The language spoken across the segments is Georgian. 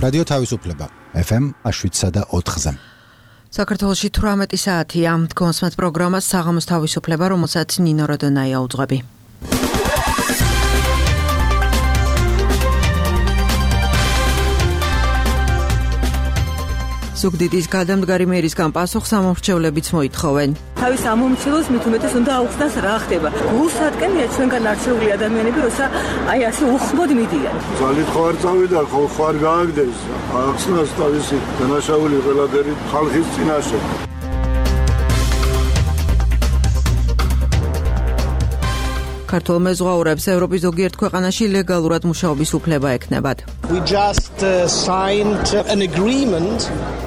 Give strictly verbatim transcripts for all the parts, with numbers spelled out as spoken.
რადიო თავისუფლება ეფ ემ შვიდსა და ოთხზე. საქართველოში თვრამეტი საათია. დგომსმეთ პროგრამას საღამოს თავისუფლება, რომელსაც ნინო როდონაია უძღვები. ზუგდიდის გადამდგარი მერისგან პასუხს ამომრჩევლებიც მოითხოვენ. თავის ამომრჩევლებს მით უმეტეს უნდა აუხსნას რა ხდება. გულსატკენია ჩვენგან არჩეული ადამიანები, როცა აი ასე უხმოდ მიდიან. ძალით ხო არ წავიდა, ხო ხარ გააგდეს. აუხსნას თავისი დანაშაული ყველაფერი ხალხის წინაშე. ქართულ მეზღვაურებს ევროპის ზოგიერთ ქვეყანაში ლეგალურად მუშაობის უფლება ექნებათ. We just uh, signed an agreement.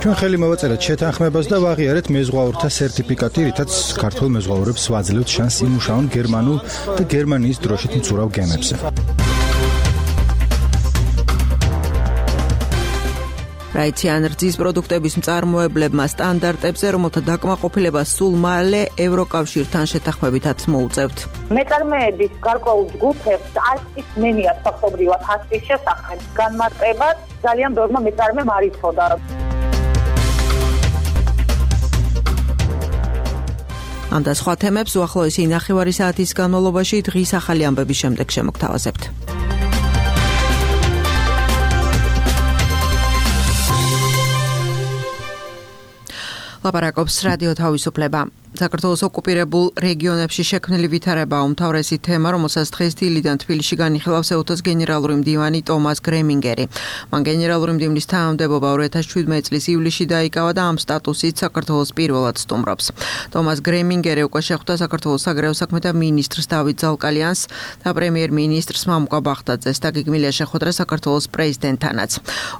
ჩვენ ხელი მოვაწერეთ შეთანხმებას და ვაღიარეთ მეზღვაურთა სერტიფიკატი, რითაც ქართულ მეზღვაურებს ვაძლევთ შანსი იმუშაონ გერმანულ და გერმანიის დროშით მცურავ გემებზე. რაიციან რძის პროდუქტების მწარმოებლებმა სტანდარტებზე, რომელთა დაკმაყოფილება სულ მალე ევროკავშირთან შეთანხმებითაც მოუწევთ. მეწარმეების გარკვეულ ჯგუფებს არ ისმენიათ ფაქტობრივად ასის შესახებ განმარტებად ძალიან ბევრმა მეწარმემ არ იცოდა. ამ და სხვა თემებს უახლოესი ნახევარი საათის განმავლობაში დღის ახალი ამბების შემდეგ შემოგთავაზებთ. ლაპარაკობს რადიო თავისუფლება. საქართველოს ოკუპირებულ რეგიონებში შექმნილი ვითარება უმთავრესი თემა, რომელსაც დღეს დილიდან თბილისში განიხილავს ეუთოს გენერალური მდივანი ტომას გრემინგერი. მან გენერალური მდივნის თანამდებობა ორი ათას შვიდმეტი წლის ივლისში დაიკავა და ამ სტატუსით საქართველოს პირველად სტუმრობს. ტომას გრემინგერი უკვე შეხვდა საქართველოს საგარეო საქმეთა მინისტრს დავით ზალკალიანს და პრემიერ-მინისტრს მამუკა ბახტაძეს და გეგმილია შეხვედრა საქართველოს პრეზიდენტთანაც.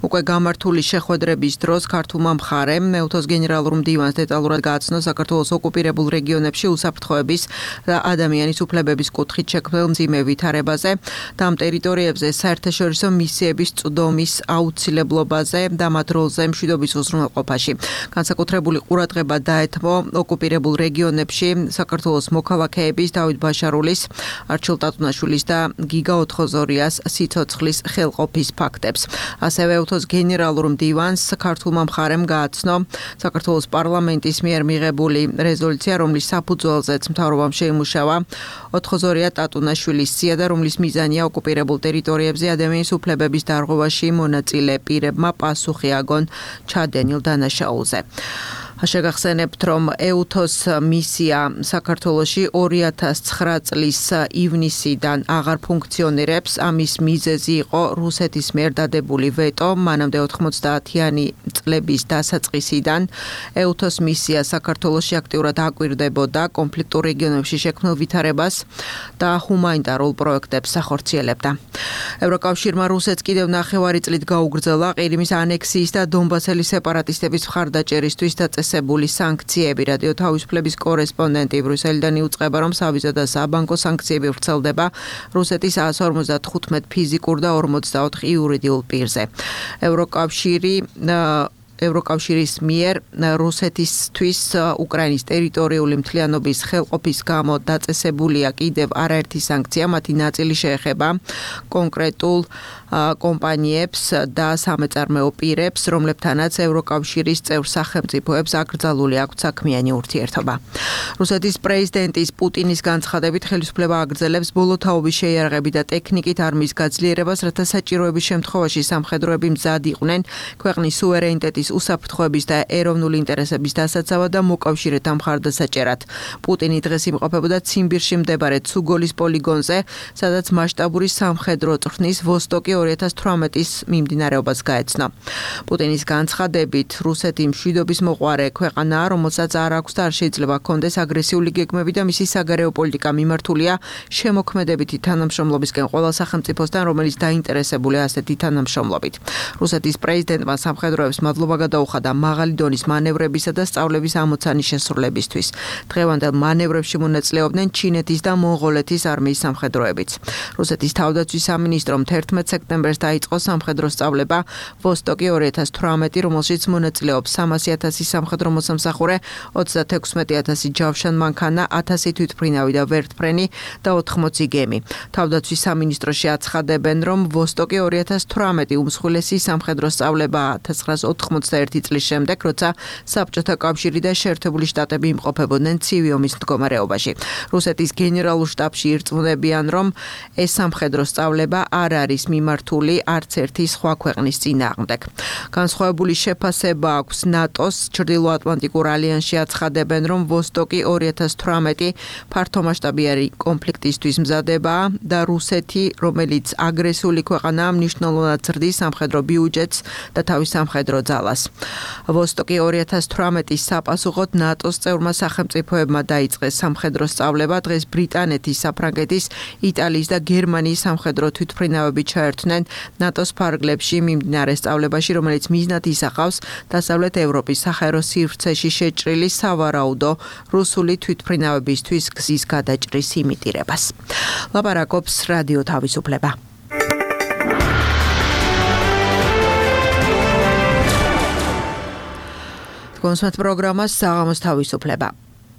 უკვე გამართული შეხვედრების დროს ქართულმა მხარემ ეუთოს გენერალურ მდივანს დეტალურად გააცნო საქართველოს ოკუპირებულ რეგიონებში უსაფრთხოების და ადამიანის უფლებების კუთხით შექმნილ მძიმე ვითარებაზე და ამ ტერიტორიებზე საერთაშორისო მისიების წვდომის აუცილებლობაზე და მათ როლზე მშვიდობის უზრუნველყოფაში. განსაკუთრებული ყურადღება დაეთმო ოკუპირებულ რეგიონებში საქართველოს მოქალაქეების დავით ბაშარულის, არჩილ ტატუნაშვილის და გიგა ოთხოზორიას სიცოცხლის ხელყოფის ფაქტებს. ასევე ეუთოს გენერალურ მდივანს ქართულმა მხარემ გააცნო საქართველოს პარლამენტის მიერ მიღებული რეზოლუცია, რომლის საფუძველზეც მთავრობამ შეიმუშავა ოთხოზორია ტატუნაშვილის სია და რომლის მიზანია ოკუპირებულ ტერიტორიებზე ადამიანის უფლებების დარღვევაში მონაწილე პირებმა პასუხი აგონ ჩადენილ დანაშაულზე. შეგახსენებთ, რომ ეუთოს მისია საქართველოში ორი ათას ცხრა წლის ივნისიდან აღარ ფუნქციონირებს. ამის მიზეზი იყო რუსეთის მიერ დადებული ვეტო. მანამდე ოთხმოცდაათიანი წლების დასაწყისიდან ეუთოს მისია საქართველოში აქტიურად აკვირდებოდა კონფლიქტურ რეგიონებში შექმნილ ვითარებას და ჰუმანიტარულ პროექტებს ახორციელებდა. ევროკავშირმა რუსეთს კიდევ ნახევარი წლით გაუგრძელა ყირიმის ანექსიის და დონბასელის სეპარატისტების მხარდაჭერისთვის დაწესებული სანქციები. რადიო თავისუფლების კორესპონდენტი ბრიუსელიდან იუწყება, რომ სავიზო და საბანკო სანქციები ვრცელდება რუსეთის ას ორმოცდათხუთმეტ ფიზიკურ და ორმოცდაოთხ იურიდიულ პირზე. ევროკავშირი ევროკავშირის მიერ რუსეთისთვის უკრაინის ტერიტორიული მთლიანობის ხელყოფის გამო დაწესებულია კიდევ არაერთი სანქცია, მათი ნაწილი შეეხება კონკრეტულ კომპანიებს და სამეწარმეო პირებს, რომლებთანაც ევროკავშირის წევრ სახელმწიფოებს აკრძალული აქვთ საქმიანი ურთიერთობა. რუსეთის პრეზიდენტის პუტინის განცხადებით ხელისუფლება აგრძელებს ბოლო თაობის შეიარაღებით და ტექნიკით არმიის გაძლიერებას, რათა საჭიროების შემთხვევაში სამხედროები მზად იყვნენ ქვეყნის სუვერენიტეტის უსაფრთხოების და ეროვნული ინტერესების დასაცავად და მოკავშირეთა მხარდასაჭერად. პუტინი დღეს იმყოფებოდა ციმბირში მდებარე ცუგოლის პოლიგონზე, სადაც მასშტაბური სამხედრო წვრთნის ვოსტოკი ორი ათას თვრამეტის მიმდინარეობას გაეცნო. პუტინის განცხადებით, რუსეთი მშვიდობის მოყვარე ქვეყანაა, რომელსაც არ აქვს და არ შეიძლება ჰქონდეს აგრესიული გეგმები და მისი საგარეო პოლიტიკა მიმართულია შემოქმედებითი თანამშრომლობისკენ ყველა სახელმწიფოსთან, რომელიც დაინტერესებულია ასეთი თანამშრომლობით. რუსეთის პრეზიდენტმა სამხედროებს მადლობა გადაუხადა მაღალი დონის მანევრებისა და სწავლების ამოცანის შესრულებისთვის. დღევანდელ მანევრებში მონაწილეობდნენ ჩინეთის და მონღოლეთის არმიის სამხედროებიც. რუსეთის თავდაცვის სამინისტრომ თერთმეტ სექტემბერს დაიწყო სამხედრო სწავლება ვოსტოკი ორი ათას თვრამეტი, რომელშიც მონაწილეობს სამასი ათასი სამხედრო მოსამსახურე, ოცდათექვსმეტი ათასი ჯავშან მანქანა, ათასი თვითმფრინავი და ვერტმფრენი და ოთხმოცი გემი. თავდაცვის სამინისტროში აცხადებენ, რომ ვოსტოკი ორი ათას თვრამეტი უმსხვილესი სამხედრო სწავლება ათას ცხრაას ოთხმოცდაერთი წლის შემდეგ, როცა საბჭოთა კავშირი და შეერთებული შტატები იმყოფებოდნენ ცივი ომის მდგომარეობაში. რუსეთის გენერალურ შტაბში ირწმუნებიან, რომ ეს სამხედრო სწავლება არ არის მიმართული არც ერთი სხვა ქვეყნის წინააღმდეგ. განსხვავებული შეფასება აქვს ნატოს ჩრდილოატლანტიკურ ალიანსში აცხადებენ, რომ ვოსტოკი ორი ათას თვრამეტი ფართომასშტაბიანი კონფლიქტისთვის მზადებაა და რუსეთი, რომელიც აგრესიული ქვეყანაა, მნიშვნელოვნად ზრდის სამხედრო ბიუჯეტს და თავის სამხედრო ძალას. ვოსტოკი ორი ათას თვრამეტის საპასუხოდ ნატოს წევრმა სახელმწიფოებმა დაიწყეს სამხედრო სწავლება. დღეს ბრიტანეთის, საფრანგეთის, იტალიის და გერმანიის სამხედრო თვითმფრინავები ჩაერთვნენ ნატოს ფარგლებში მიმდინარე სწავლებაში, რომელიც მიზნად ისახავს დასავლეთ ევროპის საჰაერო სივრცეში შეჭრილი სავარაუდო რუსული თვითმფრინავებისთვის გზის გადაჭრის იმიტირებას. ლაპარაკობს რადიო თავისუფლება. კონსერტ პროგრამას საღამოს თავისუფლება.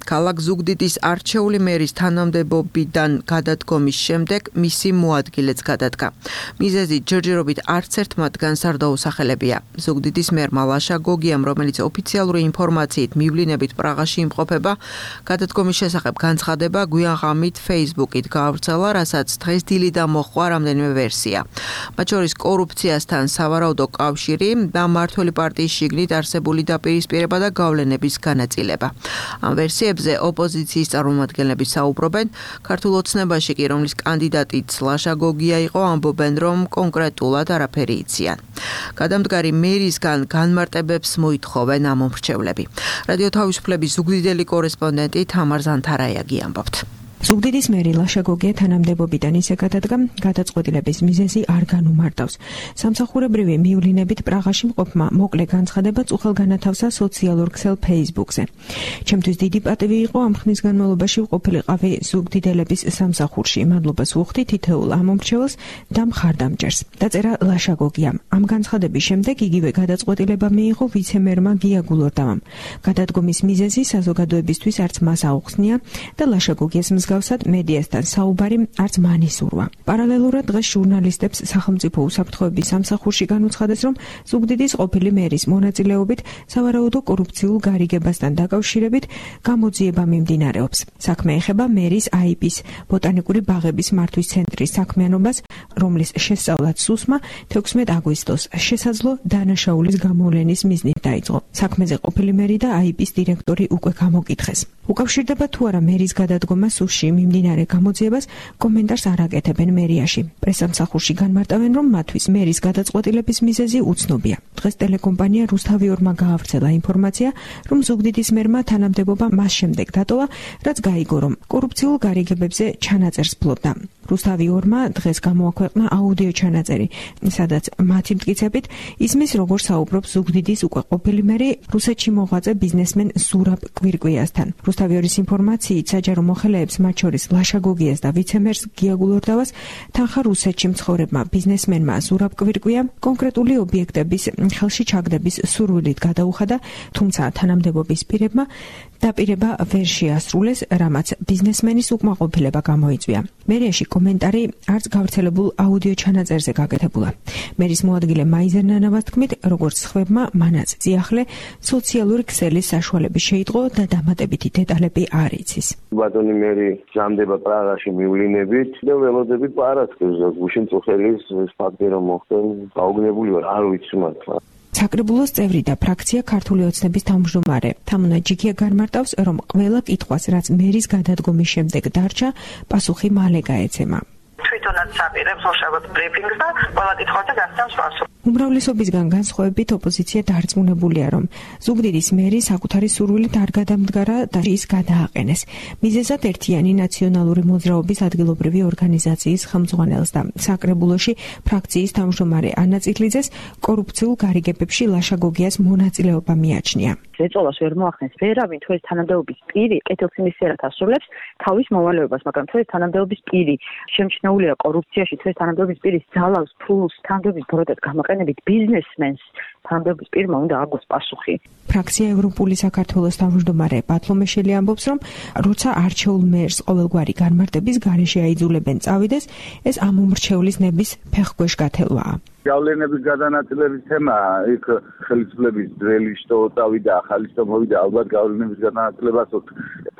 ქალაქ ზუგდიდის არჩეული მერის თანამდებობიდან გადადგომის შემდეგ მისი მოადგილეც გადადგა. მიზეზი ჯერჯერობით არც ერთ მათგანს არ დაუსახელებია. ზუგდიდის მერმა ლაშა გოგიამ, რომელიც ოფიციალური ინფორმაციით მივლინებით პრაღაში იმყოფება, გადადგომის შესახებ განცხადება გვიან ღამით Facebook-ით გაავრცელა, რასაც დღეს დილიდან მოჰყვა რამდენიმე ვერსია. მათ შორის კორუფციასთან სავარაუდო კავშირი და მმართველი პარტიის შიგნით არსებული დაპირისპირება და გავლენების განაწილება. ამ ვერსიებს ოპოზიციის წარმომადგენლები საუბრობენ, ქართულ ოცნებაში კი, რომლის კანდიდატიც ლაშა გოგია იყო, ამბობენ, რომ კონკრეტულად არაფერი იციან. გადამდგარი მერისგან განმარტებებს მოითხოვენ ამ მომრჩევლები. რადიო თავისუფლების ზუგდიდელი კორესპონდენტი თამარ ზანთარაიაგი ამბობთ. ზუგდიდის მერი ლაშა გოგია თანამდებობიდან ისე გადადგა, გადაწყვეტილების მიზეზი არ განუმარტავს. სამსახურებრივი მივლინებით პრაღაში მყოფმა მოკლე განცხადება წუხელ განათავსა სოციალურ ქსელ Facebook-ზე. ჩემთვის დიდი პატივი იყო ამ ხნის განმავლობაში ყოფილიყავი ზუგდიდელების სამსახურში. მადლობას ვუხდი თითოეულ ამომრჩეველს და მხარდამჭერს. დაწერა ლაშა გოგიამ. ამ განცხადების შემდეგ იგივე გადაწყვეტილება მიიღო ვიცე-მერმა გია გულორდავამ. გადადგომის მიზეზი საზოგადოებისთვის არც მას აუხსნია და ლაშა გოგიას მსგავსად მედიასთან საუბარი არც მან ისურვა. პარალელურად დღეს ჟურნალისტებს სახელმწიფო უსაფრთხოების სამსახურში განუცხადეს, რომ ზუგდიდის ყოფილი მერის მონაწილეობით სავარაუდო კორუფციულ გარიგებასთან დაკავშირებით გამოძიება მიმდინარეობს. საქმე ეხება მერის აი პის ბოტანიკური ბაღების მართვის ცენტრის საქმიანობას, რომლის შესწავლაც სუსმა თექვსმეტ აგვისტოს შესაძლო დანაშაულის გამოვლენის მიზნით დაიწყო. საქმეზე ყოფილი მერი და აი პის დირექტორი უკვე გამოკითხეს. უკავშირდება თუ არა მერის გადადგომა სუსში მიმდინარე გამოძიებას, კომენტარს არ აკეთებენ მერიაში. პრესამსახურში განმარტავენ, რომ მათთვის მერის გადაწყვეტილების მიზეზი უცნობია. დღეს ტელეკომპანია რუსთავიორმა გაავრცელა ინფორმაცია, რომ ზუგდიდის მერმა თანამდებობა მას შემდეგ დატოვა, რაც გაიგო, რომ კორუფციულ გარიგებებზე ჩანაწერს ფლობდა. რუსთავიორმა დღეს გამოაქვეყნა აუდიო ჩანაწერი, სადაც მათი მტკიცებით ისმის, როგორ საუბრობს ზუგდიდის უკვე ყოფილი მერი რუსეთში მოღვაწე ბიზნესმენ ზურაბ კვირკვიასთან. რუსთავიორის ინფორმაციით საჯარო მოხელეებს, მათ შორის ლაშა გოგიას და ვიცემერს გია გულორდავას, თანხა რუსეთში მცხოვრებმა ბიზნესმენმა ზურაბ კვირკვიამ კონკრეტული ობიექტების ხელში ჩაგდების სურვილით გადაუხადა, თუმცა თანამდებობის პირებმა დაპირება ვერ შეასრულეს, რამაც ბიზნესმენის უკმაყოფილება გამოიწვია. მერიაში კომენტარი არც გავრცელებულ აუდიო ჩანაწერზე გაკეთებულა. მერის მოადგილე მაიზერ ნანავას თქმით, როგორც სხვებმა, მანაც ძიახლე სოციალური ქსელის საშუალები შეიტყო და დამატებითი დეტალები არ იცის. ბატონი მერი ჯამდება პრაღაში მივლინებით და ველოდებით პარასკევს გუშინ წუხელის ფაქტი რომ მოხდა, გაუგნებული ვარ, არ ვიცი მართლა. საკრებულოს წევრი და ფრაქცია ქართული ოცნების თავმჯდომარე თამუნა ჯიქია განმარტავს, რომ ყველა კითხვას, რაც მერის გადადგომის შემდეგ დარჩა, პასუხი მალე გაეცემა. თვითონაც აპირებს უშავებ ბრიფინგს და ყველა კითხვაზე გასცემს პასუხს. უმრავლესობისგან განსხვავებით ოპოზიცია დარწმუნებულია, რომ ზუგდიდის მერი საკუთარი სურვილით არ გადამდგარა და ის გადააყენეს. მიზეზად ერთიანი ნაციონალური მოძრაობის ადგილობრივი ორგანიზაციის ხელმძღვანელს და საკრებულოში ფრაქციის თავმჯდომარე ანა წითლიძეს კორუფციულ გარიგებებში ლაშა გოგიას მონაწილეობა მიაჩნია. ეწოლას ვერ მოახდენს ვერავინ თუ ეს თანამდებობის პირი კეთილსინისიერად ასრულებს თავის მოვალეობას, მაგრამ თუ ეს თანამდებობის პირი შემჩნეულია კორუფციაში, თუ ეს თანამდებობის პირი ძალავს ფულს თანამდებობის ბროდად გამოყენებით ბიზნესმენს, თანამდებობის პირმა უნდა აგოს პასუხი. ფრაქცია ევროპული საქართველოს თავმჯდომარე ბათლომეშელი ამბობს, რომ როცა არჩეულ მერს ყოველგვარი განმარტების გარეშე აიძულებენ წავიდეს, ეს ამ უმრჩევლის ნების ფეხქვეშ გათელვაა. გავლენების გადანაწილების თემა იქ ხელისუფლების ძველი შტო წავიდა, ახალი შტო მოვიდა, ალბათ გავლენების გადანაწილებას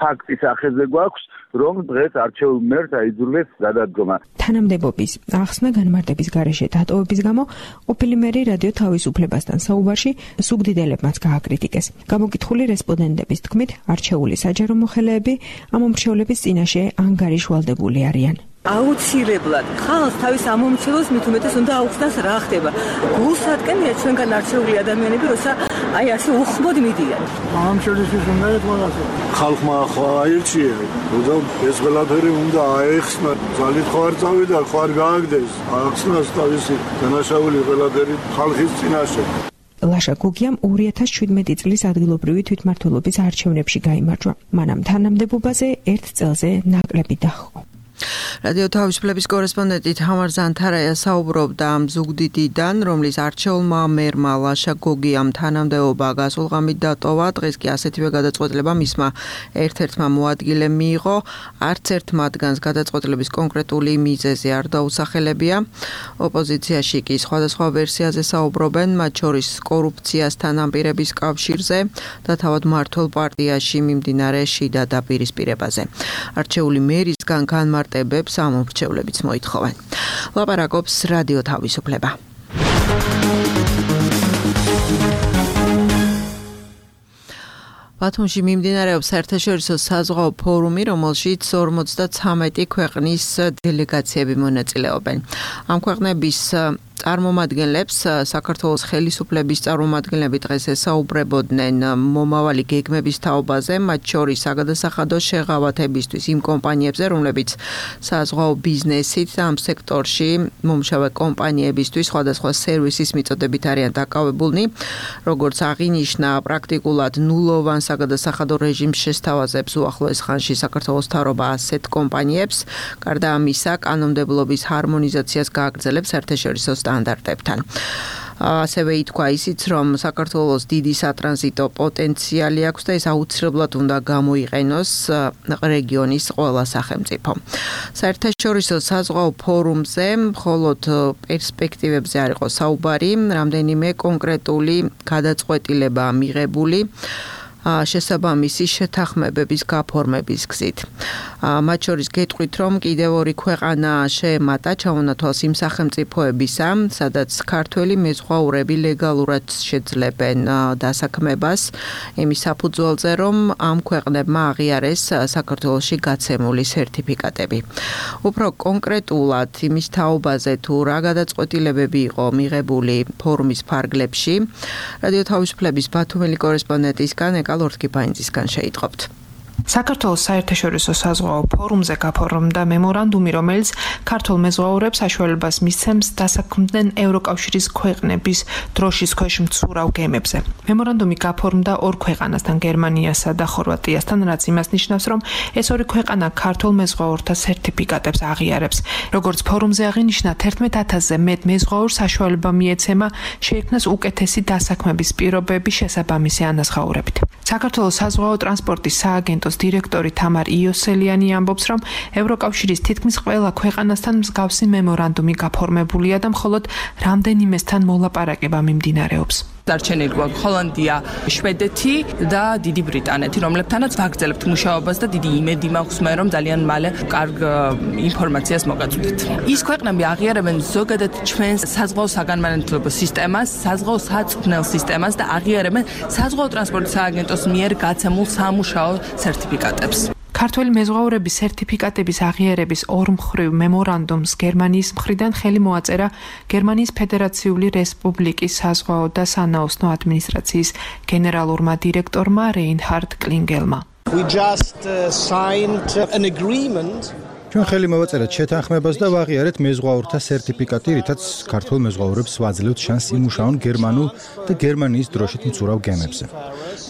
ფაქტის ახეზე გვაქვს, რომ დღეს არჩეულ მერს აიძულეს გადადგომა. თანამდებობის ახსნა განმარტების გარეშე დატოვების გამო ყოფილი მერი რადიო თავისუფლებასთან საუბარში ზუგდიდელებმაც გააკრიტიკეს. გამოკითხული რესპონდენტების თქმით, არჩეული საჯარო მოხელეები ამ უმრჩევლების წინაშე ანგარიშვალდებული არიან. აუცილებლად ხალხს თავის ამომრჩევლებს მით უმეტეს უნდა აუხსნას რა ხდება. გულს ატკენია ჩვენგან არჩეული ადამიანები, როცა აი ასე უხმოდ მიდიან. ამომრჩევლისთვის უნდა ეთქვას ხალხმა ახლა აირჩია, და ეს ყველაფერი უნდა აეხსნა. ძალით ხო არ წავიდა, ხო არ გააგდეს. ახსნას თავისი დანაშაული ყველაფერი ხალხის წინაშე. ლაშა გოგიამ ორი ათას შვიდმეტი წლის ადგილობრივი თვითმმართველობის არჩევნებში გაიმარჯვა. მანამ თანამდებობაზე ერთ წელზე ნაკლები დაჰყო. რადიო თავისუფლების კორესპონდენტი თამარ ზანთარაია საუბრობდა ზუგდიდიდან, რომლის არჩეულმა მერმა ლაშა გოგიამ თანამდებობა გასულღამით დატოვა. დღეს კი ასეთივე გადაწყვეტილება მისმა ერთ-ერთმა მოადგილემ მიიღო. არც ერთ მათგანს გადაწყვეტილების კონკრეტული მიზეზი არ დაუსახელებია. ოპოზიციაში კი სხვადასხვა ვერსიაზე საუბრობენ, მათ შორის კორუფციასთან ამპირების კავშირზე და თავად მმართველ პარტიაში მიმდინარე შიდა დაპირისპირებაზე. არჩეული მერისგან განმარტებებს ამომრჩევლებიც მოითხოვენ. ლაპარაკობს რადიო თავისუფლება. ბათუმში მიმდინარეობს საერთაშორისო საზღვაო ფორუმი, რომელშიც ორმოცდათვრამეტი ქვეყნის დელეგაციები მონაწილეობენ. ამ ქვეყნების წარმომადგენლებს საქართველოს ხელისუფლების წარმომადგენლები დღეს ესაუბრებოდნენ მომავალი გეგმების თაობაზე, მათ შორის საგადასახადო შეღავათებისთვის იმ კომპანიებზე, რომლებიც საზღვაო ბიზნესით და ამ სექტორში მომუშავე კომპანიებისთვის სხვადასხვა სერვისის მიწოდებით არიან დაკავებულნი, როგორც აღინიშნა, პრაქტიკულად ნულოვან საგადასახადო რეჟიმს შესთავაზებს უახლოეს ხანში საქართველოს მთავრობა ასეთ კომპანიებს, გარდა ამისა, კანონმდებლობის ჰარმონიზაციას გააგრძელებს საერთაშორისო სტანდარტებთან. ასევე ითქვა ისიც, რომ საქართველოს დიდი სატრანზიტო პოტენციალი აქვს და ეს აუცილებლად უნდა გამოიყენოს რეგიონის ყველა სახელმწიფო. საერთაშორისო საზღვაო ფორუმზე მხოლოდ პერსპექტივებზე არ იყო საუბარი, რამდენიმე კონკრეტული გადაწყვეტილებაა მიღებული შესაბამისი შეთანხმებების გაფორმების გზით. მათ შორის გეტყვით, რომ კიდევ ორი ქვეყანა შეემატა ჩამონათვალს იმ სახელმწიფოებისა, სადაც ქართველი მეზღვაურები ლეგალურად შეძლებენ დასაქმებას, იმის საფუძველზე, რომ ამ ქვეყნებმა აღიარეს საქართველოში გაცემული სერტიფიკატები. უფრო კონკრეტულად იმის თაობაზე, თუ რა გადაწყვეტილებები იყო მიღებული ფორუმის ფარგლებში, რადიო თავისუფლების ბათუმელი კორესპონდენტისგან ლორთქიფაინძისგან შეიტყობთ. საქართველოს საერთაშორისო საზღვაო ფორუმზე გაფორმდა მემორანდუმი, რომელიც ქართულ მეზღვაურებს საშუალებას მისცემს დასაქმდნენ ევროკავშირის ქვეყნების დროშის ქვეშ მცურავ გემებზე. მემორანდუმი გაფორმდა ორ ქვეყანასთან, გერმანიასა და ხორვატიასთან, რაც იმას ნიშნავს, რომ ეს ორი ქვეყანა ქართულ მეზღვაურთა სერტიფიკატებს აღიარებს. როგორც ფორუმზე აღინიშნა, თერთმეტ ათასზე მეტ მეზღვაურს საშუალება მიეცემა შეექმნას უკეთესი დასაქმების პირობები შესაბამისი ანაზღაურებით. საქართველოს საზღვაო ტრანსპორტის სააგენტოს დირექტორი თამარ იოსელიანი ამბობს, რომ ევროკავშირის თითქმის ყველა ქვეყანასთან მსგავსი მემორანდუმი გაფორმებულია და მხოლოდ რამდენიმესთან მოლაპარაკება მიმდინარეობს. დარჩენილი გვაქვს ჰოლანდია, შვედეთი და დიდი ბრიტანეთი, რომლებთანაც ვაგრძელებთ მუშაობას და დიდი იმედი მაქვს მე, რომ ძალიან მალე კარგ ინფორმაციას მოგაწვდით. ის ქვეყნები აღიარებენ ზოგადად ჩვენს საზღვაო საგანმანათლებლო სისტემას, საზღვაო საწვრთნელ სისტემას და აღიარებენ საზღვაო ტრანსპორტის სააგენტოს მიერ გაცემულ სამუშაო სერტიფიკატებს. ქართველი მეზღვაურების სერტიფიკატების აღიარების ორმხრივ მემორანდუმს გერმანიის მხრიდან ხელი მოაწერა გერმანიის ფედერაციული რესპუბლიკის საზღვაო და სანაოსნო ადმინისტრაციის გენერალურმა დირექტორმა რეინჰარდ კლინგელმა. We just uh, signed an agreement. ჩვენ ხელი მოვაწერეთ შეთანხმებას და ვაღიარეთ მეზღვაურთა სერტიფიკატი, რითაც ქართულ მეზღვაურებს ვაძლევთ შანსს იმუშაონ გერმანულ და გერმანიის დროშით მცურავ გემებზე.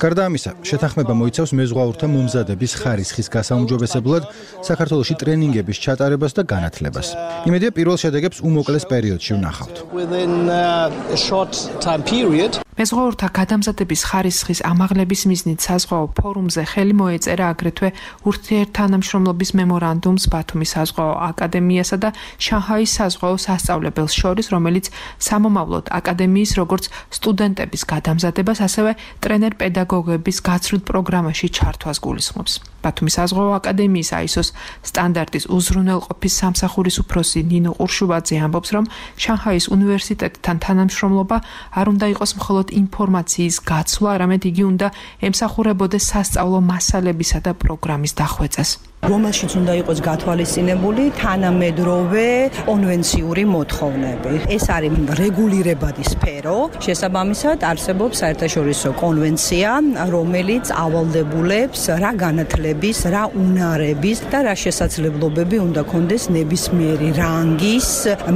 გარდა ამისა, შეთანხმება მოიცავს მეზღვაურთა მომზადების ხარისხის გასაუმჯობესებლად საქართველოში ტრენინგების ჩატარებას და განათლებას. იმედია პირველ შედეგებს უმოკლეს პერიოდში ვნახავთ. მეზღვაურთა გადამზადების ხარისხის ამაღლების მიზნით საზღვაო ფორუმზე ხელი მოეწერა აგრეთვე ურთიერთთანამშრომლობის მემორანდუმს ბათუმის საზღვაო აკადემიასა და შანჰაის საზღვაო სასწავლებელს შორის, რომელიც სამომავლოდ აკადემიის როგორც სტუდენტების გადამზადებას, ასევე ტრენერ-პედაგოგების გაცვლით პროგრამაში ჩართვას გულისხმობს. ბათუმის საზღვაო აკადემიის აი ეს ოს სტანდარტის უზრუნველყოფის სამსახურის უფროსი ნინო ყურშუბაძე ამბობს, რომ შანჰაის უნივერსიტეტთან თანამშრომლობა არ უნდა იყოს მხოლოდ ინფორმაციის გაცვლა, არამედ იგი უნდა ემსახურებოდეს სასწავლო მასალებისა და პროგრამის დახვეწას. რომელშიც უნდა იყოს გათვალისწინებული თანამედროვე კონვენციური მოთხოვნები. ეს არის რეგულირებადი სფერო. შესაბამისად არსებობს საერთაშორისო კონვენცია, რომელიც ავალდებულებს რა განათლების, რა უნარების და რა შესაძლებლობები უნდა კონდეს ნებისმიერი რანგის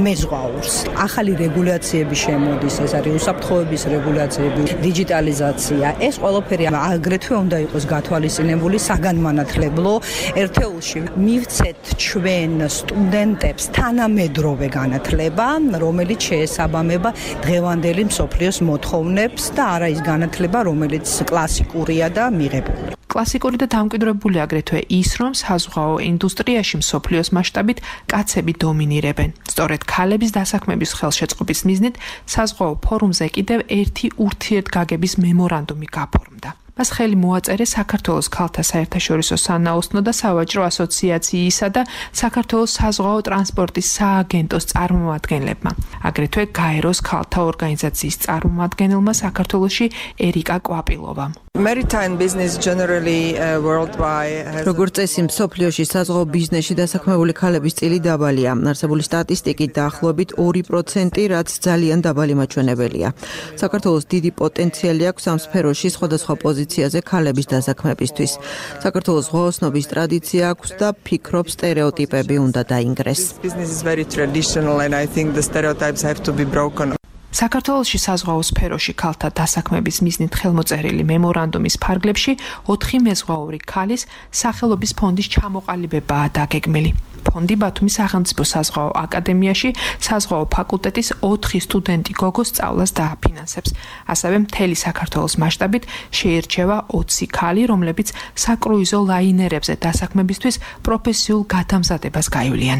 მეზღვაურს. ახალი რეგულაციები შემოდის, ეს არის უსაფრთხოების რეგულაციები, დიჯიტალიზაცია. ეს ყველაფერი აგრეთვე უნდა იყოს გათვალისწინებული საგანმანათლებლო ერთეულში. მივცეთ ჩვენ სტუდენტებს თანამედროვე განათლება, რომელიც შეესაბამება დღევანდელი მსოფლიოს მოთხოვნებს და არა ის განათლება, რომელიც კლასიკურია და მიღებული. კლასიკური და დამკვიდრებული აგრეთვე ის, რომ საზღვაო ინდუსტრიაში მსოფლიოს მასშტაბით კაცები დომინირებენ. სწორედ ქალების დასაქმების ხელშეწყობის მიზნით საზღვაო ფორუმზე კიდევ ერთი ურთიერთგაგების მემორანდუმი გაფორმდა. მას ხელი მოაწერეს საქართველოს ქალთა საერთაშორისო სანაოსნო და სავაჭრო ასოციაციისა და საქართველოს საზღვაო ტრანსპორტის სააგენტოს წარმომადგენლებმა. აგრეთვე გაეროს ქალთა ორგანიზაციის წარმომადგენელმა საქართველოში ერიკა კვაპილოვამ. Maritime business generally uh, worldwide. როგორც წესი, მსოფლიოში საზღვაო ბიზნესში დასაქმებული ქალების წილი დაბალია. არსებული სტატისტიკით დაახლოებით ორი პროცენტი, რაც ძალიან დაბალი მაჩვენებელია. საქართველოს დიდი პოტენციალი აქვს ამ სფეროში სხვადასხვა პოზიციაზე ქალების დასაქმებისთვის. საქართველოს ზღვაოსნობის ტრადიცია აქვს და ფიქრობ სტერეოტიპები უნდა დაინგრეს. Business is very traditional and I think the stereotypes have to be broken. საქართველოში საზღვაო სფეროში ქალთა დასაქმების მიზნით ხელმოწერილი მემორანდუმის ფარგლებში ოთხი მეზღვაური ქალის სახელობის ფონდის ჩამოყალიბებაა დაგეგმილი. ფონდი ბათუმის სახელმწიფო საზღვაო აკადემიაში საზღვაო ფაკულტეტის ოთხი სტუდენტი გოგოს სწავლას დააფინანსებს. ასევე მთელი საქართველოს მასშტაბით შეირჩევა ოცი ქალი, რომლებიც საკრუიზო ლაინერებზე დასაქმებისთვის პროფესიულ გადამზადებას გაივლიან.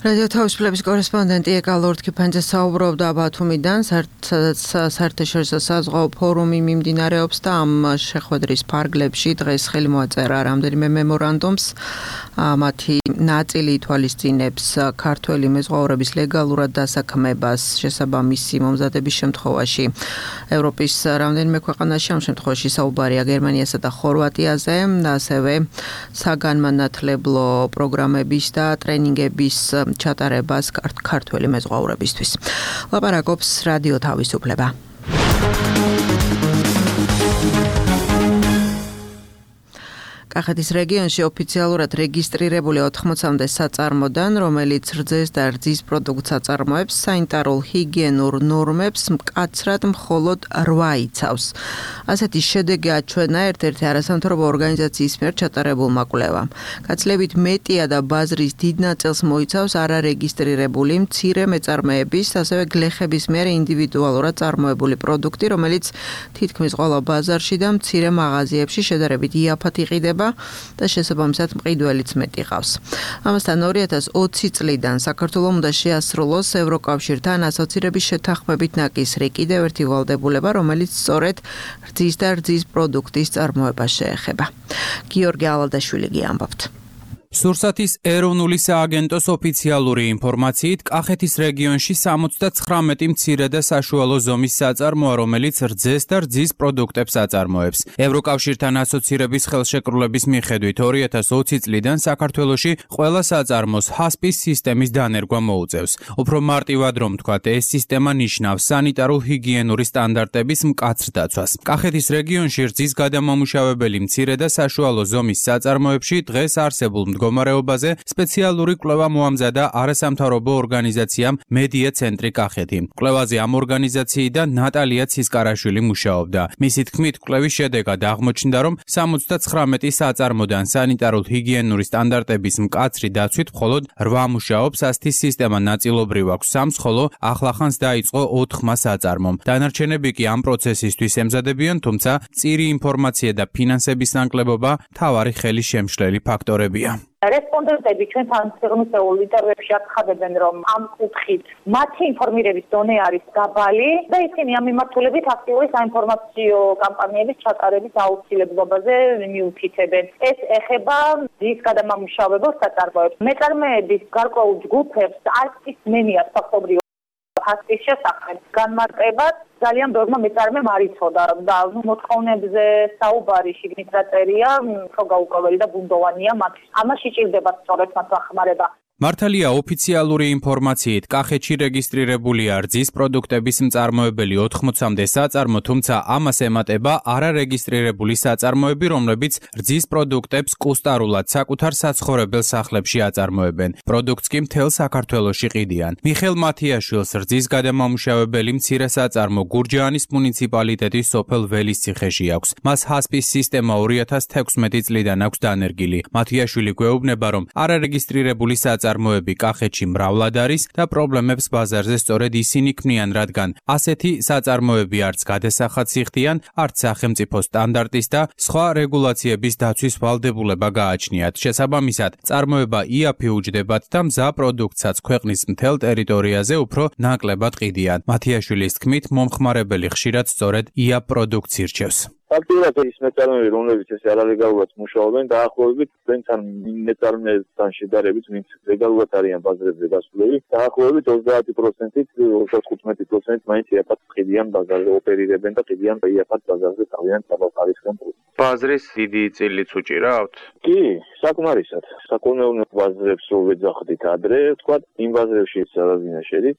რადიო თავისუფლების კორესპონდენტი ეკა ლორდ-კიფანძე საუბრობდა ბათუმიდან, სადაც საერთაშორისო საზღვაო ფორუმი მიმდინარეობს და ამ შეხვედრის ფარგლებში დღეს ხელი მოაწერა რამდენიმე მემორანდუმს. მათი ნაწილი ითვალისწინებს ქართველი მეზღვაურების ლეგალურად დასაქმებას შესაბამისი მომზადების შემთხვევაში. ევროპის რამდენიმე ქვეყანაში ამ შემთხვევაში საუბარია გერმანიასა და ხორვატიაზე, ასევე საგანმანათლებლო პროგრამების და ტრენინგების ჩატარებას ქართველი მეზღვაურებისთვის. ლაპარაკობს რადიო თავისუფლება. კახეთის რეგიონში ოფიციალურად რეგისტრირებული ოთხმოცამდე საწარმოდან, რომელიც რძეს და რძის პროდუქტს აწარმოებს, სანიტარულ ჰიგიენურ ნორმებს მკაცრად მხოლოდ რვა იცავს. ასეთი შედეგი აჩვენა ერთ-ერთი არასამთავრობო ორგანიზაციის მიერ ჩატარებულმა კვლევამ. გაცილებით მეტია და ბაზრის დიდ ნაწილს მოიცავს არარეგისტრირებული მცირე მეწარმეების, ასევე გლეხების მიერ ინდივიდუალურად წარმოებული პროდუქტი, რომელიც თითქმის ყველა ბაზარში და მცირე მაღაზიებში შედარებით იაფად იყიდება და შესაბამისად მყიდველიც მეტი ყავს. ამასთან ორი ათას ოცი წლიდან საქართველოს უნდა შეასრულოს ევროკავშირთან ასოცირების შეთანხმებით ნაკისრი კიდევ ერთი ვალდებულება, რომელიც სწორედ რძის და რძის პროდუქტის წარმოებას შეეხება. გიორგი ალადაშვილი გიამბობთ. სურსათის ეროვნული სააგენტოს ოფიციალური ინფორმაციით, კახეთის რეგიონში სამოცდათხრამეტი მცირე და საშუალო ზომის საწარმოა, რომელიც რძეს და რძის პროდუქტებს აწარმოებს. ევროკავშირთან ასოცირების ხელშეკრულების მიხედვით ორი ათას ოცი წლიდან საქართველოში ყველა საწარმოს ჰასპის სისტემის დანერგვა მოუწევს. უფრო მარტივად რომ ვთქვათ, ეს სისტემა ნიშნავს სანიტარო-ჰიგიენური სტანდარტების მკაცრ დაცვას. კახეთის რეგიონში რძის გადამამუშავებელი მცირე და საშუალო ზომის საწარმოებში დღეს არსებულ მდგომარეობაზე სპეციალური კვლევა მოამზადა არასამთავრობო ორგანიზაციამ მედია ცენტრი კახეთი. კვლევაზე ამ ორგანიზაციიდან ნატალია ცისკარაშვილი მუშაობდა. მისი თქმით, კვლევის შედეგად აღმოჩნდა, რომ სამოცდათხრამეტი საწარმოდან სანიტარულ-ჰიგიენური სტანდარტების მკაცრი დაცვით მხოლოდ რვა მუშაობს, ასთის სისტემა ნაწილობრივ აქვს სამს, ხოლო ახლახანს დაიწყო ოთხმა საწარმომ. დანარჩენები კი ამ პროცესისთვის ემზადებიან, თუმცა მწირი ინფორმაცია და ფინანსების ნაკლებობა მთავარი ხელის შემშლელი ფაქტორებია. რესპონდენტები ჩვენთან სიღრმისეულ ინტერვიუებში აცხადებენ, რომ ამ კუთხით მათი ინფორმირების დონე არის დაბალი და ისინი ამ მიმართულებით აქტიური საინფორმაციო კამპანიების ჩატარების აუცილებლობაზე მიუთითებენ. ეს ეხება რძის გადამამუშავებელ საწარმოებს. მეწარმეების გარკვეულ ჯგუფებს არც ის მენია ფაქტობრივად ჰასპის შესახებ განმარტებად ძალიან ბევრმა მეწარმემ არ იცოდა და მოთხოვნებზე საუბარი შიგნით რა წერია, უფრო გაურკვეველი და ბუნდოვანია მათ. ამაში ჭირდება სწორედ მათ დახმარება. მართალია ოფიციალური ინფორმაციით, კახეთში რეგისტრირებულია რძის პროდუქტების მწარმოებელი ოთხმოცამდე საწარმო, თუმცა ამას ემატება არარეგისტრირებული საწარმოები, რომლებიც რძის პროდუქტებს კუსტარულად საკუთარ საცხოვრებელ სახლებში აწარმოებენ. პროდუქტს კი მთელ საქართველოში ყიდიან. მიხელ მათიაშვილს რძის გადამამუშავებელი მცირე საწარმო გურჯაანის მუნიციპალიტეტის სოფელ ველისციხეში აქვს. მას ჰასპის სისტემა ორი ათას თექვსმეტი წლიდან აქვს დანერგილი. მათიაშვილი გვეუბნება, რომ არარეგისტრირებული საწარმო წარმოები კახეთში მრავლად არის და პრობლემებს ბაზარზე სწორედ ისინი ქმნიან, რადგან ასეთი საწარმოები არც გადასახადს იხდიან, არც სახელმწიფო სტანდარტის და სხვა რეგულაციების დაცვის ვალდებულება გააჩნიათ. შესაბამისად, წარმოება იაფიუჯდებათ და მზა პროდუქტსაც ქვეყნის მთელ ტერიტორიაზე უფრო ნაკლებად ყიდიან. მათიაშვილის თქმით, მომხმარებელი ხშირად სწორედ იაფ პროდუქტს ირჩევს. ფაქტობრივად ის მეწარმეები, რომლებიც ეს არალეგალურად მუშაობენ, დაახლოებით ჩვენთან მეწარმეებთან შედარებით, ვინც ლეგალურად არიან ბაზრებზე გასულები, დაახლოებით ოცდაათი პროცენტით, ოცდათხუთმეტი პროცენტით მაინც იაფად ყიდიან ბაზარზე, ოპერირებენ და ყიდიან იაფად ბაზარზე თავიანთ საბავხარისხიან პროდუქტს. ბაზრის დიდი წილიც უჭირავთ? კი, საკმარისად. საკუთნეულო ბაზრებს რო ვეძახდით ადრე, ვთქვათ, იმ ბაზრებში სადაზინა შედით,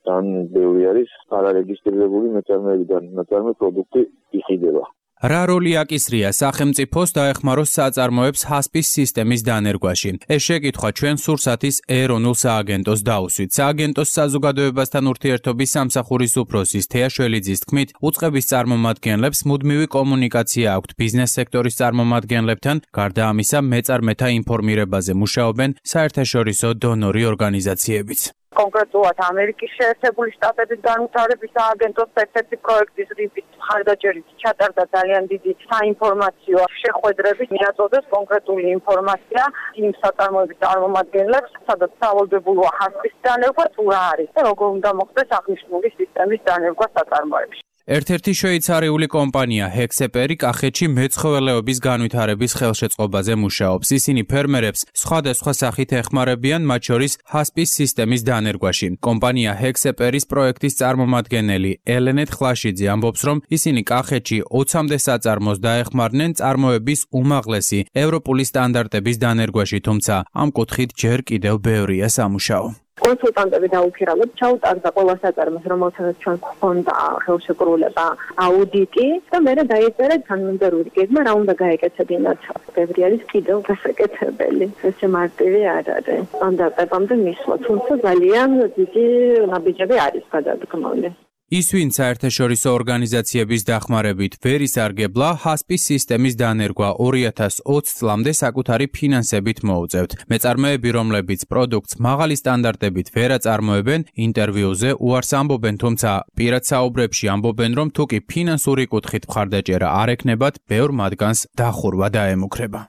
თან ბევრი არის არარეგისტრირებული მეწარმეები და მეწარმე პროდუქტი იყიდება. რა როლი აკისრია სახელმწიფოს დაეხმაროს საწარმოებს ჰასპის სისტემის დანერგვაში? ეს შეკითხვა ჩვენ სურსათის ეროვნულ სააგენტოს დაუსვით. სააგენტოს საზოგადოებასთან ურთიერთობის სამსახურის უფროსის თეა შველიძის თქმით, უწყების წარმომადგენლებს მუდმივი კომუნიკაცია აქვთ ბიზნეს სექტორის წარმომადგენლებთან, გარდა ამისა მეწარმეთა ინფორმირებაზე მუშაობენ საერთაშორისო დონორი ორგანიზაციებიც. კონკრეტულად ამერიკის შეერთებული შტატების განვითარების სააგენტოს ერთ-ერთი პროექტის რიფის მხარდაჭერით ჩატარდა ძალიან დიდი საინფორმაციო შეხვედრები, მიაწოდეს კონკრეტული ინფორმაცია იმ საწარმოების წარმომადგენლებს, სადაც სავალდებულოა ჰასპის დანერგვა თუ რა არის და როგორ უნდა მოხდეს აღნიშნული სისტემის დანერგვა საწარმოებში. ერთ-ერთი შვეიცარიული კომპანია ჰექსეპერი კახეთში მეცხოველეობის განვითარების ხელშეწყობაზე მუშაობს. ისინი ფერმერებს სხვადასხვა სახით ეხმარებიან, მათ შორის ჰასპის სისტემის დანერგვაში. კომპანია ჰექსეპერის პროექტის წარმომადგენელი ელენეთ ხლაშიძე ამბობს, რომ ისინი კახეთში ოცამდე საწარმოს დაეხმარნენ წარმოების უმაღლესი ევროპული სტანდარტების დანერგვაში, თუმცა ამ კუთხით ჯერ კიდევ ბევრია სამუშაო. კონსულტანტები დაუფირავთ, ჩაუტარდა ყველა საწარმოს, რომელსაც ჩვენ გვქონდა ხელშეკრულება, აუდიტი და მე დაიწერა თანამდებობრივი გეგმა, რა უნდა გაეკეთებინათ. ბევრი არის კიდევ გასაკეთებელი. ესე მარტივი არ არის. სტანდარტებამდე მისვლა, თუმცა ძალიან დიდი ნაბიჯები არის გადადგმული. ის ვინც საერთაშორისო ორგანიზაციების დახმარებით ვერ ისარგებლა, ჰასპის სისტემის დანერგვა ორი ათას ოცი წლამდე საკუთარი ფინანსებით მოუწევთ. მეწარმეები, რომლებიც პროდუქტს მაღალი სტანდარტებით ვერ აწარმოებენ, ინტერვიუზე უარს ამბობენ, თუმცა პირად საუბრებში ამბობენ, რომ თუკი ფინანსური კუთხით მხარდაჭერა არ ექნებათ, ბევრ მათგანს დახურვა დაემუქრება.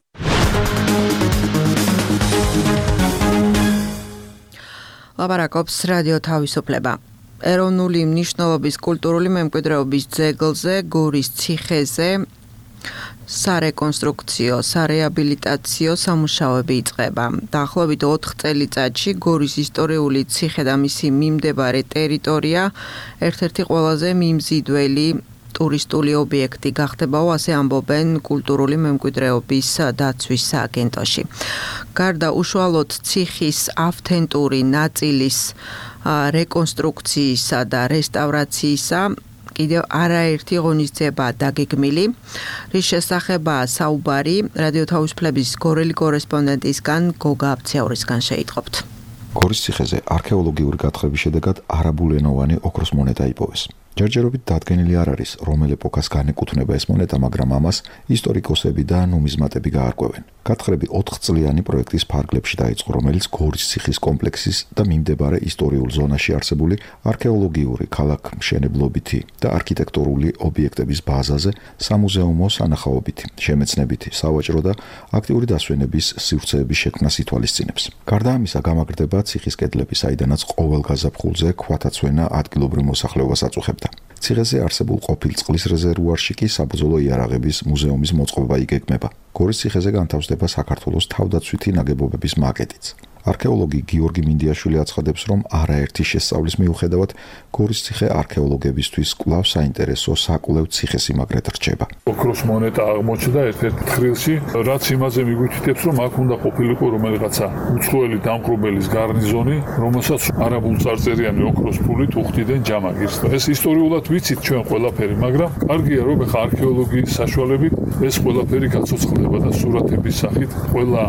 ლაპარაკობს რადიო თავისუფლება. ეროვნული მნიშვნელობის კულტურული მემკვიდრეობის ძეგლზე, გორის ციხეზე სარეკონსტრუქციო, სარეაბილიტაციო სამუშაოები იწყება. დაახლოებით ოთხ წელიწადში გორის ისტორიული ციხე და მისი მიმდებარე ტერიტორია ერთ-ერთი ყველაზე მიმზიდველი ტურისტული ობიექტი გახდებაო, ასე ამბობენ კულტურული მემკვიდრეობის დაცვის სააგენტოში. გარდა უშუალოდ ციხის ავთენტური ნაწილის რეკონსტრუქციისა და რესტავრაციისა, კიდევ არაერთი ღონისძიება დაგეგმილი, რის შესახებაა საუბარი რადიო თავისუფლების გორელი კორესპონდენტისგან გოგა აბციაურისგან შეიტყობთ. გორის ციხეზე არქეოლოგიური გათხრების შედეგად არაბულენოვანი ოქროს მონეტა იპოვეს. ჯერჯერობით დადგენილი არ არის, რომელ ეპოქას განეკუთვნება ეს მონეტა, მაგრამ ამას ისტორიკოსები და ნუმიზმატები გაარკვევენ. გათხრები ოთხწლიანი პროექტის ფარგლებში დაიწყო, რომელიც გორის ციხის კომპლექსის და მიმდებარე ისტორიულ ზონაში არსებული არქეოლოგიური, ქალაქ-მშენებლობითი და არქიტექტურული ობიექტების ბაზაზე სამუზეუმო სანახაობითი, შემეცნებითი, სავაჭრო და აქტიური დასვენების სივრცეების შექმნას ითვალისწინებს. გარდა ამისა, გამაგრდება ციხის კედლები, საიდანაც ყოველ გაზაფხულზე ქვათაცვენა ადგილობრივ მოსახლეობას აწუხებდა. ციხეზე არსებულ ყოფილ წყლის რეზერვუარში კი საბრძოლო იარაღების მუზეუმის მოწყობა იგეგმება. გორის ციხეზე განთავსდება საქართველოს თავდაცვითი ნაგებობების მაკეტიც. არქეოლოგი გიორგი მინდიაშვილი აცხადებს, რომ არაერთი შესწავლის მიუხედავად გორის ციხე არქეოლოგებისთვის კვლავ საინტერესო საკვლევ ციხესიმაგრედ რჩება. ოქროს მონეტა აღმოჩნდა ერთ-ერთ თხრილში, რაც იმაზე მიგვითითებს, რომ აქ უნდა ყოფილიყო რომელიღაცა უცხოელი დამპყრობელის გარნიზონი, რომელსაც არაბულ წარწერიანი ოქროს ფულით უხდიდნენ ჯამაგირს. ეს ისტორიულად ვიცით ჩვენ ყველაფერი, მაგრამ კარგია რომ ახლა არქეოლოგიის საშუალებით ეს ყველაფერი გაცოცხლდება და სურათების სახით ყველა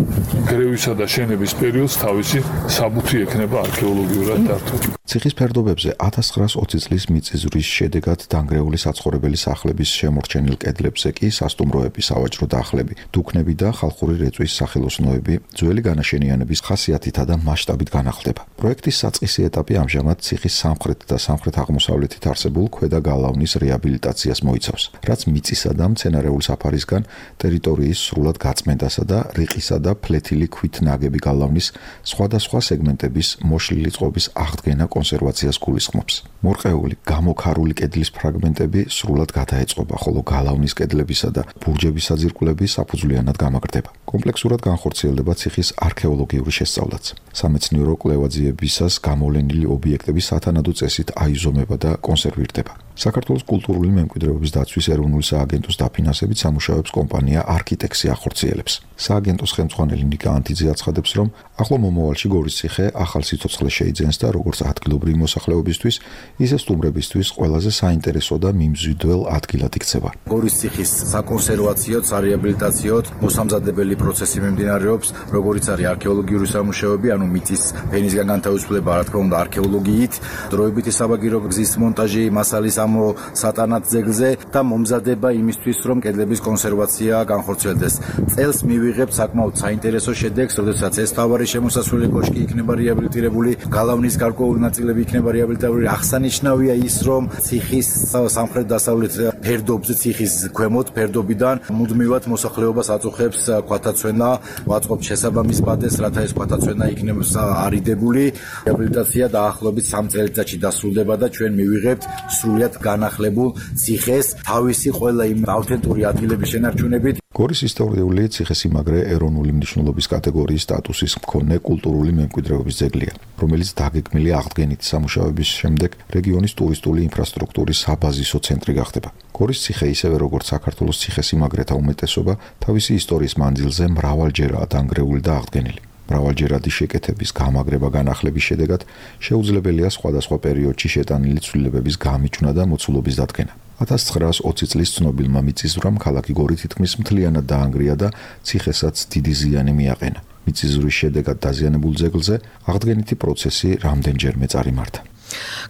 გრევისა და შენების პერიოდს თავისი საბუთი ექნება არქეოლოგიურად დართულ. ციხის ფერდობებზე ათას ცხრაას ოცი წლის მიწისძვრის შედეგად დანგრეული საცხოვრებელი სახლების შემორჩენილ კედლებზე კი სასტუმროები, სავაჭრო დახლები, დუქნები და ხალხური რეწვის სახელოსნოები ძველი განაშენიანების ხასიათითა და მასშტაბით განახლდება. პროექტის საწყისი ეტაპი ამჟამად ციხის სამხრეთ და სამხრეთ-აღმოსავლეთით არსებულ ქვედა გალავნის რეაბილიტაციას მოიცავს, რაც მიწისა და მცენარეული საფარისგან ტერიტორიის სრულად გაწმენდასა და რიყისა და ფლეთილი ქვით ნაგები გალავნის სხვადასხვა სეგმენტების მოშლილი წყობის აღდგენა კონსერვაციას გულისხმობს. მორყეული, გამოქარული კედლის ფრაგმენტები სრულად გადაეწყობა, ხოლო გალავნის კედლებისა და ბურჯების საძირკვლები საფუძვლიანად გამაგრდება. კომპლექსურად განხორციელდება ციხის არქეოლოგიური შესწავლაც. სამეცნიერო კვლევაძიებისას გამოვლენილი ობიექტები სათანადო წესით აიზომება და კონსერვირდება. საქართველოს კულტურული მემკვიდრეობის დაცვის ეროვნული სააგენტოს დაფინანსებით სამუშაოებს კომპანია არქიტექსი ახორციელებს. სააგენტოს ხელმძღვანელი ნიკა ანთიძე აცხადებს, რომ ახლო მომავალში გორის ციხე ახალ სიცოცხლეს შეიძენს და როგორც ადგილობრივი მოსახლეობისთვის, ისე სტუმრებისთვის ყველაზე საინტერესო და მიმზიდველ ადგილად იქცება. გორის ციხის საკონსერვაციო, სარეაბილიტაციო მოსამზადებელი პროცესი მიმდინარეობს, როგორიც არის არქეოლოგიური სამუშაოები, ანუ მიწის ფენისგან განთავისუფლება, რა თქმა უნდა, არქეოლოგიით, დროებითი საბაგირო გზის მონტაჟი, მასალის ამო სატანად ძეგლზე და მომზადება იმისთვის, რომ კედლების კონსერვაცია განხორციელდეს. წელს მივიღებთ საკმაოდ საინტერესო შედეგს, როდესაც ეს თავარი შემოსასვლელი კოშკი იქნება რეაბილიტირებული, გალავნის გარკვეული ნაწილები იქნება რეაბილიტირებული. აღსანიშნავია ის, რომ ციხის სამხრეთ-დასავლეთ ფერდობზე, ციხის ქვემოთ ფერდობიდან მუდმივად მოსახლეობას აწუხებს ქვათაცვენა, ვაწყობთ შესაბამის ბადეს, რათა ეს ქვათაცვენა იქნებს არიდებული. რეაბილიტაცია დაახლოებით სამ წელიწადში დასრულდება და ჩვენ მივიღებთ სრულიად განახლებულ ციხეს თავისი ყველა იმ ავთენტური ადგილების შენარჩუნებით. გორის ისტორიული ციხესიმაგრე ეროვნული მნიშვნელობის კატეგორიის სტატუსის მქონე კულტურული მემკვიდრეობის ძეგლია, რომელიც დაგეგმილი აღდგენითი სამუშაოების შემდეგ რეგიონის ტურისტული ინფრასტრუქტურის საბაზისო ცენტრი გახდება. გორის ციხე, ისევე როგორც საქართველოს ციხესიმაგრეთა უმეტესობა, თავისი ისტორიის მანძილზე მრავალჯერაა დანგრეული და აღდგენილი. მრავალჯერადი შეკეთების, გამაგრება, განახლების შედეგად შეუძლებელია სხვადასხვა პერიოდში შეტანილი ცვლილებების გამიჯვნა და მოცულობის დადგენა. ათას ცხრაას ოცი წლის ცნობილმა მიწისძვრამ ქალაქი გორი თითქმის მთლიანად დაანგრია და ციხესაც დიდი ზიანი მიაყენა. მიწისძვრის შედეგად დაზიანებულ ძეგლზე აღდგენითი პროცესი რამდენჯერმე წარიმართა.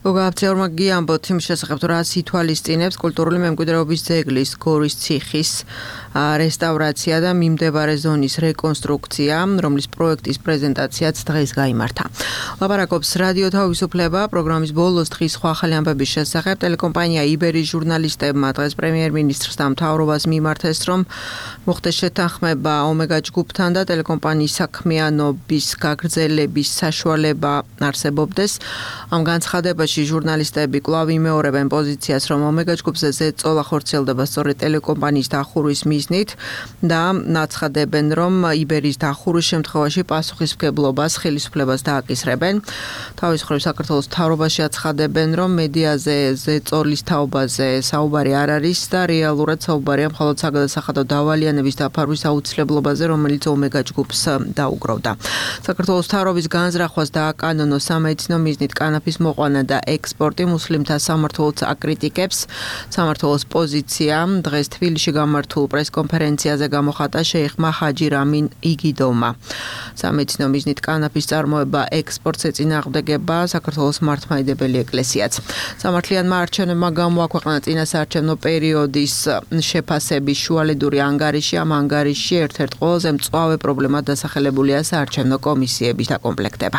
გოგა აბციაურმა გიამბოთ იმ შესახებ, რას ითვალისწინებს კულტურული მემკვიდრეობის ძეგლის გორის ციხის რესტავრაცია და მიმდებარე ზონის რეკონსტრუქცია, რომლის პროექტის პრეზენტაციაც დღეს გაიმართა. ლაპარაკობს რადიო თავისუფლება, პროგრამის ბოლოს დღის სხვა ახალი ამბების შესახებ. ტელეკომპანია იბერის ჟურნალისტებმა დღეს პრემიერ-მინისტრს და მთავრობას მიმართეს, რომ მოხდეს შეთანხმება ომეგა ჯგუფთან და ტელეკომპანიის საქმიანობის გაგრძელების საშუალება არსებობდეს. ამ განცხადებას აცხადებაში ჟურნალისტები კვლავ იმეორებენ პოზიციას, რომ ომეგა ჯგუფზე ზეწოლა ხორციელდება სწორედ ტელეკომპანიის დახურვის მიზნით და აცხადებენ, რომ იბერის დახურვის შემთხვევაში პასუხისმგებლობას ხელისუფლებას დააკისრებენ. თავის მხრივ საქართველოს მთავრობაში აცხადებენ, რომ მედიაზე ზეწოლის თაობაზე საუბარი არ არის და რეალურად საუბარია მხოლოდ საგადასახადო დავალიანების დაფარვის აუცილებლობაზე, რომელიც ომეგა ჯგუფს დაუგროვდა. საქართველოს მთავრობის განზრახვას დააკანონო სამედიცინო მიზნით კანაფის მოყვანა და ექსპორტი მუსლიმთა სამმართველოს აკრიტიკებს. სამმართველოს პოზიცია დღეს თბილისში გამართულ პრესკონფერენციაზე გამოხატა შეიხმა ჰაჯი რამინ იგიდოვმა. სამედიცინო მიზნით კანაფის წარმოება ექსპორტს ეწინააღმდეგება საქართველოს მართლმადიდებელი ეკლესიაც. სამართლიანმა არჩევნებმა გამოაქვეყნა წინასაარჩევნო პერიოდის შეფასების შუალედური ანგარიში. ამ ანგარიშში ერთ-ერთ ყველაზე მწვავე პრობლემად დასახელებულია საარჩევნო კომისიების დაკომპლექტება.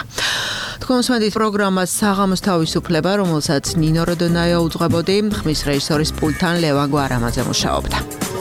თქვენსმენდით პროგრამას საღამოს თავისუფლება, რომელსაც ნინო როდონაია უძღვებოდი, ხმის რეჟისორის პულტთან ლევან გვარამაძე მუშაობდა.